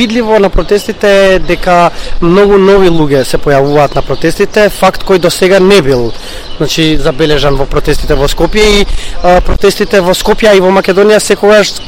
видливо на протестите е дека многу нови луѓе се појавуваат на протестите, факт кој до сега не бил забележан во протестите во Скопје и протестите во Скопје и во Македонија секогаш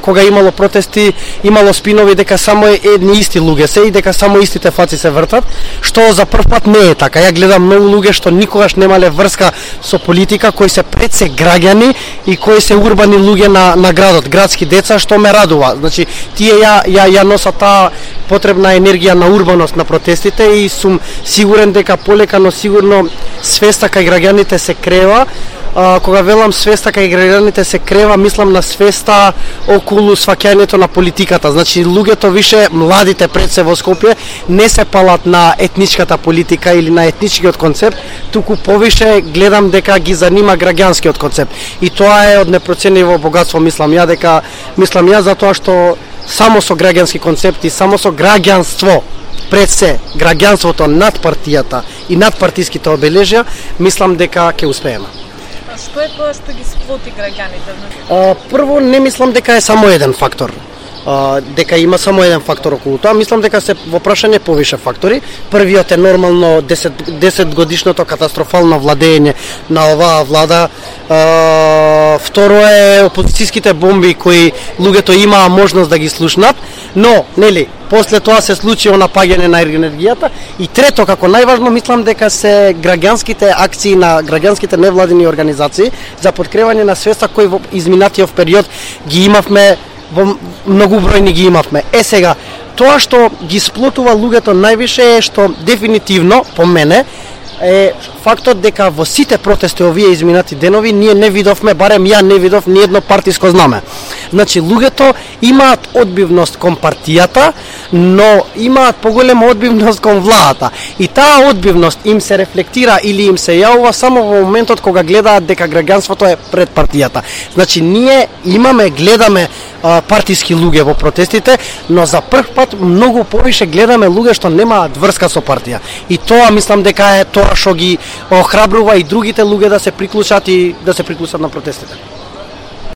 кога имало протести, имало спинови дека само едни исти луѓе се и дека само истите фаци се вртат, што за прв пат не е така. Ја гледам многу луѓе што никогаш немале врска со политика, кои се пред се граѓани и кои се урбани луѓе на градот, градски деца, што ме радува. Значи, тие ја носат таа потребна енергија на урбаност на протестите и сум сигурен дека полека, но сигурно свеста кај граѓаните се крева. Кога велам свеста кај граѓаните се крева, мислам на свеста околу сваќањето на политиката. Значи, луѓето више, младите пред се во Скопје, не се палат на етничката политика или на етничкиот концепт, туку повише гледам дека ги занима граѓанскиот концепт. И тоа е од непроцениво богатство, мислам ја, затоа што само со граѓански концепти, само со граѓанство, пред се, граѓанството над партијата и над партиските обележја, мислам дека ќе успееме. Што е тоа што ги сплоти граѓаните? Прво, не мислам дека е само еден фактор. Дека има само еден фактор околу тоа, мислам дека се во прашање повише фактори. Првиот е нормално 10 годишното катастрофално владење на оваа влада. Второ е опозицијските бомби кои луѓето имаа можност да ги слушнат, но после тоа се случи напаѓање на енергијата. И трето, како најважно, мислам дека се граѓанските акции на граѓанските невладини организации за подкрепање на свеста кои во изминатиот период ги имавме, во многубројни ги имавме. Сега, тоа што ги сплотува луѓето највише е што дефинитивно, по мене, е фактот дека во сите протести овие изминати денови ние не видовме, барем ја не видов ни едно партиско знаме. Значи, луѓето имаат одбивност кон партијата, но имаат поголема одбивност кон владата. И таа одбивност им се рефлектира или им се јавува само во моментот кога гледаат дека граѓанството е пред партијата. Значи, ние гледаме партиски луѓе во протестите, но за прв пат многу повише гледаме луѓе што немаат врска со партија. И тоа мислам дека е тоа што ги охрабрува и другите луѓе да се приклучат на протестите.